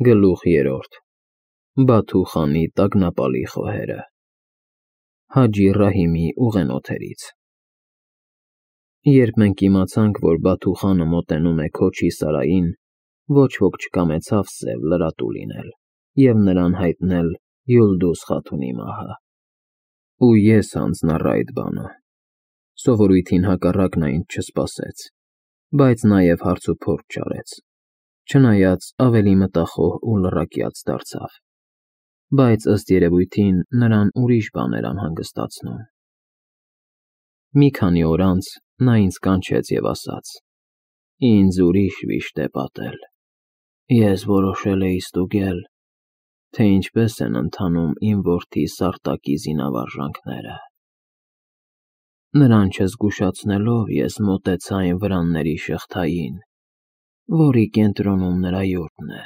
Գլուխ 3 Բաթու խանի տագնապալի խոհերը Հաջի Ռահիմի ուղենոթերից Երբ մենք իմացանք, որ Բաթու խանը մոտենում է Քոչի Սարային, ոչ ոք չկամեցավ սև լրատու լինել և նրան հայտնել Յուլդուզ Խաթունի մահը։ Ու ես հանձնառա այդ բանը։ Սովորույթին հակառակ նա ինձ չսպասեց, բայց նաև հարցուփորձ չարեց, չնայած ավելի մտախոհ ու լռակյաց դարձավ, բայց ըստ երևույթին նրան ուրիշ բան էր անհանգստացնում։ Մի քանի օր անց նա ինձ կանչեց և ասաց. «Ինձ ուրիշ վիշտ է պատել։ Ես որոշել էի ստուգել, թե ինչպես են ընթանում իմ որդի Սարտակի զինավարժանքները։ Նրան չզգուշացնելով ես մոտեցա այն վրանների շղթային, որի կենտրոնում նրա յուրտն է։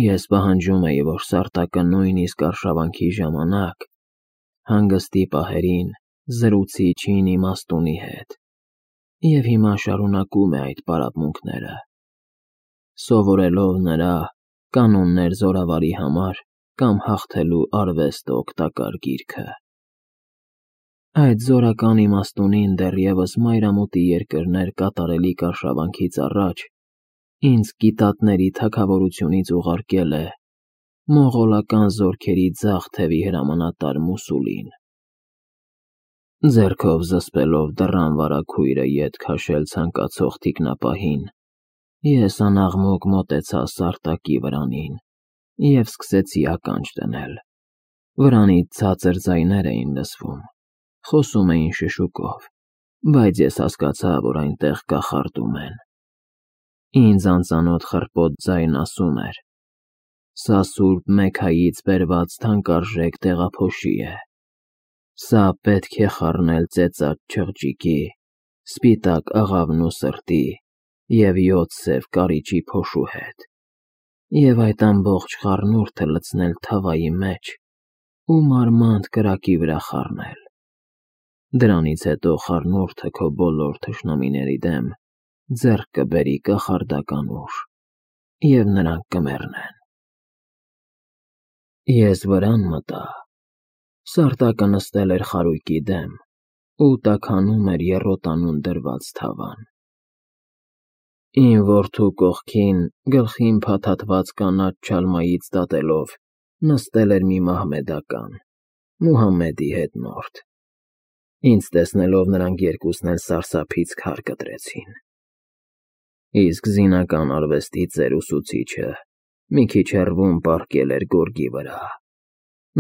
Ես պահանջում էի, որ Սարտակը նույնիսկ արշավանքի ժամանակ, հանգստի պահերին, զրուցի չին իմաստունի հետ, և հիմա շարունակում է այդ պարապմունքները, սովորելով նրա «Կանոններ զորավարի համար» կամ «Հաղթելու արվեստը» օգտակար գիրքը։ Այդ զորական իմաստունին դեռևս մայրամուտի երկրներ կատարելիք արշավանքից առաջ ինձ գիտատների թագավորությունից ուղարկել է մողոլական զորքերի ձախ թևի հրամանատար Մուսուլին։ Ձեռքով զսպելով դռան վարագույրը ետ քաշել ցանկացող թիկնապահին, ես անաղմուկ մոտեցա Սարտակի վրանին և սկսեցի ականջ դնել։ Վրանից ցածր ձայներ էին լսվում, խոսում էին շշուկով, բայց ես հասկացա, որ այնտեղ կախարդում են։ Ինձ անծանոթ խռպոտ ձայն ասում էր. «Սա Սուրբ Մեքքայից բերված թանկարժեք տեղափոշի է։ Սա պետք է խառնել ծեծած չղջիկի, սպիտակ աղավնու սրտի և 7 սև կարիճի փոշու հետ, և այդ ամբողջ խառնուրդը լցնել թավայի մեջ ու մարմանդ կրակի վրա խառնել։ Դրանից հետո խառնուրդը քո բոլոր թշնամիների դեմ ձեռք կբերի կախարդական ուժ, և նրանք կմեռնեն»։ Ես վրան մտա։ Սարտակը նստել էր խարույկի դեմ ու տաքանում էր եռոտանուն դրված թավան։ Իմ որդու կողքին, գլխին փաթաթված կանաչ չալմայից դատելով, նստել էր մի մահմեդական, Մուհամմեդի հետնորդ։ Ինձ տեսնելով նրանք երկուսն էլ սարսափից քար կտրեցին։ Իսկ զինական արվեստի ծեր ուսուցիչը մի քիչ հեռվում պառկել էր գորգի վրա։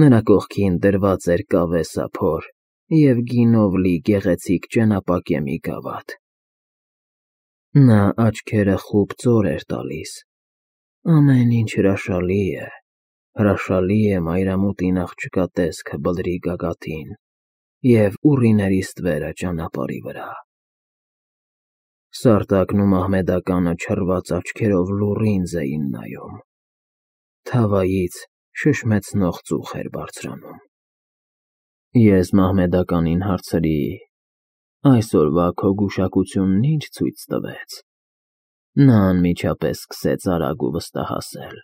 Նրա կողքին դրված էր կավե սափոր և գինով լի գեղեցիկ ճենապակե մի գավաթ։ Նա աչքերը խուլ ծոր էր տալիս։ Ամեն ինչ հրաշալի է մայրամուտին աղջկա տեսքը բլրի գագաթին և ուռիների ստվերը ճանապարհի վրա։ Սարտակն ու մահմեդականը չռված աչքերով լուռ ինձ էին նայում։ Թավայից շշմեցնող ծուխ էր բարձրանում։ Ես մահմեդականին հարցրի. «Այսօրվա քո գուշակությունն ինչ ցույց տվեց»։ Նա անմիջապես սկսեց արագ ու վստահասել.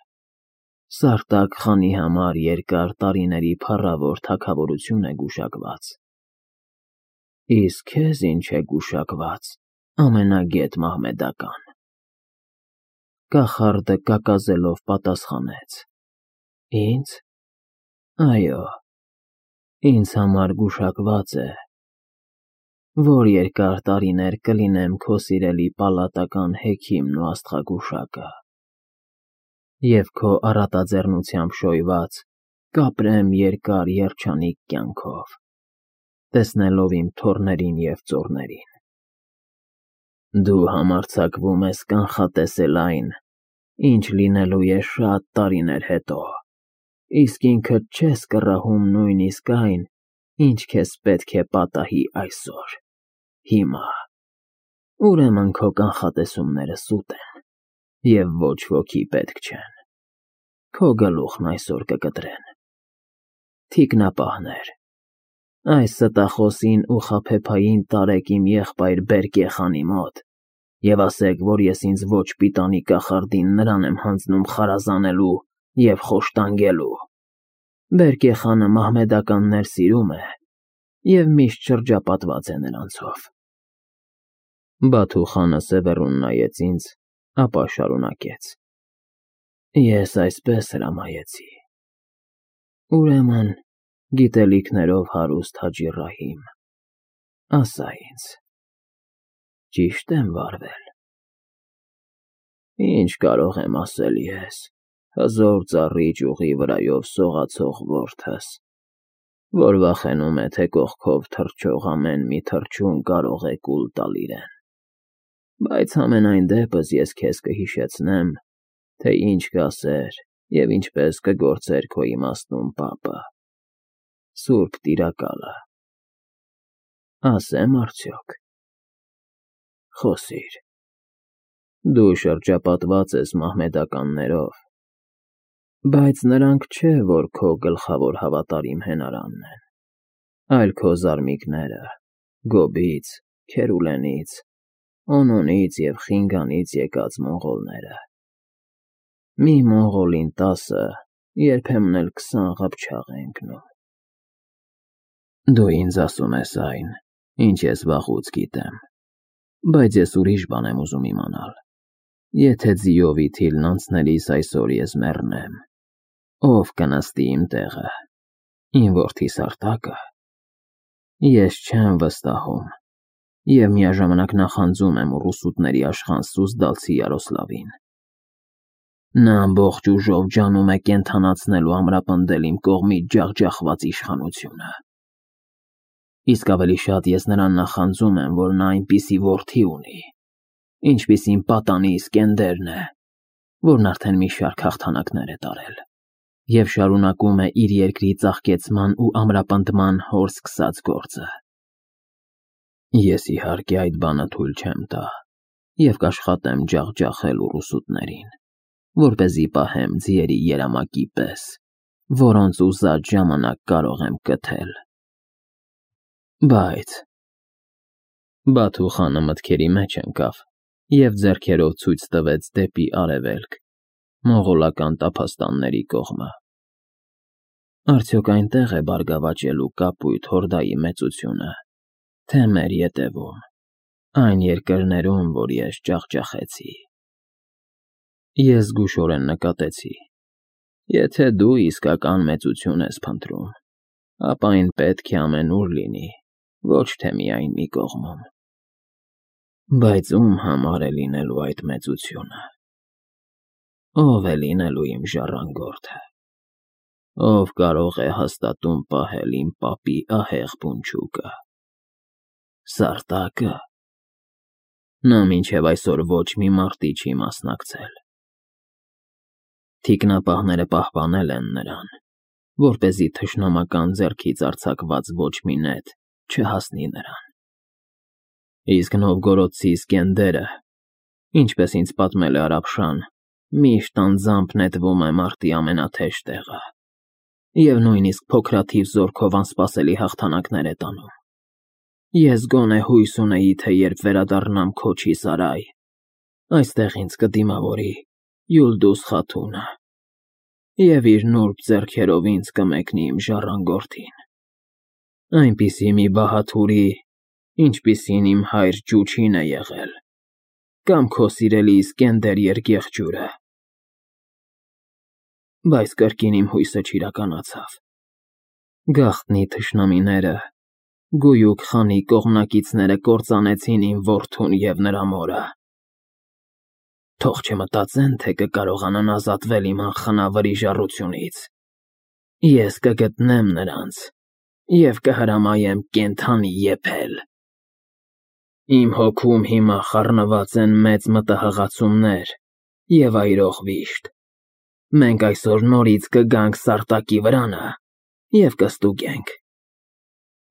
«Սարտակ խանի համար երկար տարիների փառավոր թագավորություն է գուշակված»։ Իսկ քեզ ինչ է գուշակված, ամենագետ մահմեդական։ Կախարդը կակազելով պատասխանեց. «Ինձ. Այո, ինձ համար գուշակված է, որ երկար տարիներ կլինեմ քո սիրելի պալատական հեքիմն ու աստղագուշակը, և քո առատաձեռնությամբ շոյված կապրեմ երկար երջանիկ կյանքով, տեսնելով իմ թոռներին և ծոռներին։ Դու համարձակվում ես կանխատեսել այն, ինչ լինելու է շատ տարիներ հետո, իսկ ինքդ չես կռահում նույնիսկ այն, ինչ քեզ պետք է պատահի այսօր, հիմա։ Ուրեմն քո կանխատեսումները սուտ են, և ոչ ոքի պետք չեն։ Քո գլուխն այսօր կկտրեն։ Թիկնապահներ, այս ստախոսին ու խաբեբային տարեք իմ եղբայր Բերկե խանի մոտ Եվ ասեք, որ ես ինձ ոչ պիտանի կախարդին նրան եմ հանձնում խարազանելու և խոշտանգելու։ Բերկե խանը մահմեդականներ սիրում է և միշտ շրջապատված է նրանցով։ Բաթու խանը սևեռուն նայեց ինձ, ապա շարունակեց. Ես այսպես հրամայեցի. Ուրեմն, գիտելիքներով հարուստ Հաջի Ռահիմ, ասա ինձ, ճիշտ եմ վարվել։ Ինչ կարող եմ ասել ես, հզոր ծառի ճյուղի վրայով սողացող որդս, որ վախենում է, թե կողքով թռչող ամեն մի թռչուն կարող է կուլ տալ իրեն։ Բայց համենայն դեպս ես քեզ կհիշեցնեմ, թե ինչ կասեր և ինչպես կգործեր քո իմաստուն պապը, Սուրբ Տիրակալը։ Ասեմ արդյոք։ Խոսիր։ Դու շրջապատված ես մահմեդականներով, բայց նրանք չէ, որ քո գլխավոր հավատարիմ հենարանն են, այլ քո զարմիկները Գոբից, Քերուլենից, Օնոնից և Խինգանից եկած մոնղոլները։ Մի մոնղոլին 10, երբեմն էլ 20 ղփչաղ է ընկնում։ Դու ինձ ասում ես այն, ինչ ես վաղուց գիտեմ, բայց ես ուրիշ բան եմ ուզում իմանալ։ Եթե ձիով ի թիլն անցնելիս այսօր ես մեռնեմ, ով կնստի իմ տեղը, իմ որդի Սարտակը։ Ես չեմ վստահում և միաժամանակ նախանձում եմ ուռուսուտների աշխան Սուզդալցի Յարոսլավին։ Նա ամբողջ ուժով ջանում է կենդանացնել ու ամրապնդել իմ կողմից ջախջախված իշխանությունը։ Իսկ ավելի շատ ես նրան նախանձում եմ, որ նա այնպիսի որդի ունի, ինչպիսին պատանի Իսկենդերն է, որն արդեն մի շարք հաղթանակներ է տարել և շարունակում է իր երկրի ծաղկեցման ու ամրապնդման հոր սկսած գործը։ Ես իհարկե այդ բանը թույլ չեմ տա և կաշխատեմ ջախջախել ուռուսուտներին, որպեսզի պահեմ ձիերի երամակի պես, որոնց ուզած ժամանակ կարող եմ կթել։ Բայց… Բաթու խանը մտքերի մեջ ընկավ և ձեռքերով ցույց տվեց դեպի արևելք, մոնղոլական տափաստանների կողմը։ Արդյոք այնտեղ է բարգավաճելու կապույտ հորդայի մեծությունը, թե մեր ետևում, այն երկրներում, որ ես ջախջախեցի։ Ես զգուշորեն նկատեցի. եթե դու իսկական մեծություն ես փնտրում, ապա այն պետք է ամենուր լինի, ոչ թե միայն մի կողմում։ Բայց ում համար է լինելու այդ մեծությունը։ Ով է լինելու իմ ժառանգորդը։ Ով կարող է հաստատուն պահել իմ պապի ահեղ բունչուկը։ Սարտակը։ Նա մինչև այսօր ոչ մի մարտի չի մասնակցել։ Թիկնապահները պահպանել են նրան, որպեսզի թշնամական ձեռքից արձակված ոչ մի նետ չհասնի նրան։ Իսկ նովգորոդցի Իսկենդերը, ինչպես ինձ պատմել է Արաբշան, միշտ անձամբ նետվում է մարտի ամենաթեժ տեղը և նույնիսկ փոքրաթիվ զորքով անսպասելի հաղթանակներ է տանում։ Ես գոնե հույս ունեի, թե երբ վերադառնամ Քոչի Սարայ, այստեղ ինձ կդիմավորի Յուլդուզ Խաթունը և իր նուրբ ձեռքերով ինձ կմեկնի իմ ժառանգորդին, այնպիսի մի բահաթուրի, ինչպիսին իմ հայր Ջուչին է եղել, կամ քո սիրելի Իսկենդեր Երգեղջյուրը։ Բայց կրկին իմ հույսը չիրականացավ։ Գաղտնի թշնամիները, Գույուք խանի կողմնակիցները կործանեցին իմ որդուն և նրա մորը։ Թող չմտածեն, թե կկարողանան ազատվել իմ անխնա վրիժառությունից։ Ես կգտնեմ նրանց և կհրամայեմ կենդանի եփել։ Իմ հոգում հիմա խառնված են մեծ մտահղացումներ և այրող վիշտ։ Մենք այսօր նորից կգանք Սարտակի վրանը և կստուգենք։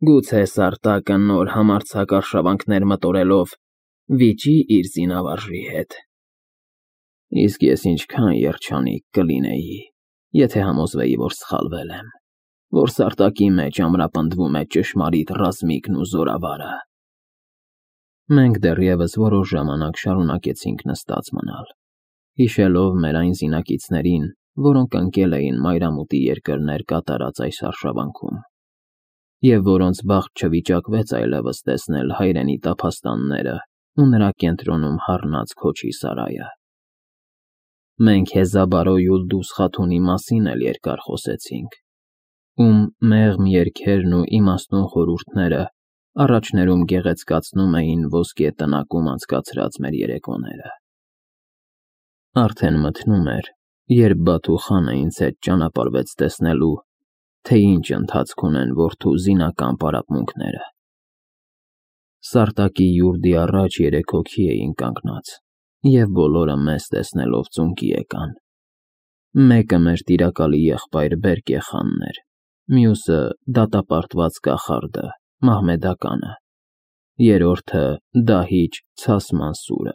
Գուցե Սարտակը նոր համարձակ արշավանքներ մտորելով վիճի իր զինավարժի հետ։ Իսկ ես ինչքան երջանիկ կլինեի, եթե համոզվեի, որ սխալվել եմ, որ Սարտակի մեջ ամրապնդվում է ճշմարիտ ռազմիկն ու զորավարը։ Մենք դեռևս որոշ ժամանակ շարունակեցինք նստած մնալ, հիշելով մեր այն զինակիցներին, որոնք ընկել էին մայրամուտի երկրներ կատարած այս արշավանքում, և որոնց բախտ չվիճակվեց այլևս տեսնել հայրենի տափաստանները ու նրա կենտրոնում հառնած քոչի սարայը։ Մենք Հեզաբարո Յուլդուս Խաթունի մասին էլ երկար խոսեցինք, ում մեղմ երգերն ու իմաստուն խորհուրդները առաջներում գեղեցկացնում էին ոսկե տնակում անցկացրած մեր երեկոները։ Արդեն մթնում էր, երբ Բաթու խանը ինձ հետ ճանապարհվեց տեսնելու, թե ինչ ընթացք ունեն որդու զինական պարապմունքները։ Սարտակի յուրդի առաջ 3 հոգի էին կանգնած, և բոլորը մեզ տեսնելով ծունկի եկան։ Մեկը մեր տիրակալի եղբայր Բերկե խանն էր, մյուսը դատապարտված կախարդը, Մահմեդականը, երրորդը դահիճ Ցաս Մանսուրը։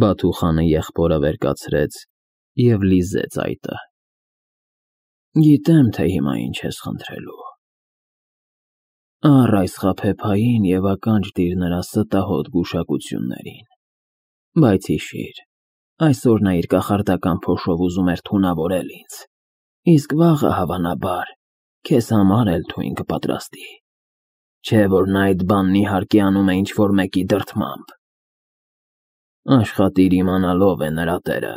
Բաթու խանը եղբորը վեր կացրեց և լիզեց այտը։ Գիտեմ, թե հիմա ինչ ես խնդրելու։ Առ այս խաբեբային և ականջ դիր նրա ստահոդ գուշակություններին, բայց հիշիր, այսօր նա իր կախարդական փոշով ուզում էր թունավորել ինձ, իսկ վաղը, հավանաբար, քեզ համար էլ թույն կպատրաստի, չէ՞ որ նա այդ բանն իհարկե անում է ինչ-որ մեկի դրդմամբ։ Աշխատիր իմանալ ով է նրա տերը,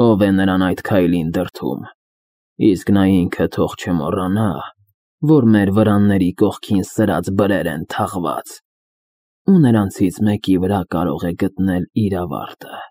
ով է նրան այդ քայլին դրդում, իսկ նա ինքը թող չմոռանա, որ մեր վրանների կողքին սրած բրեր են թաղված, ու նրանցից մեկի վրա կարող է գտնել իր ավարտը։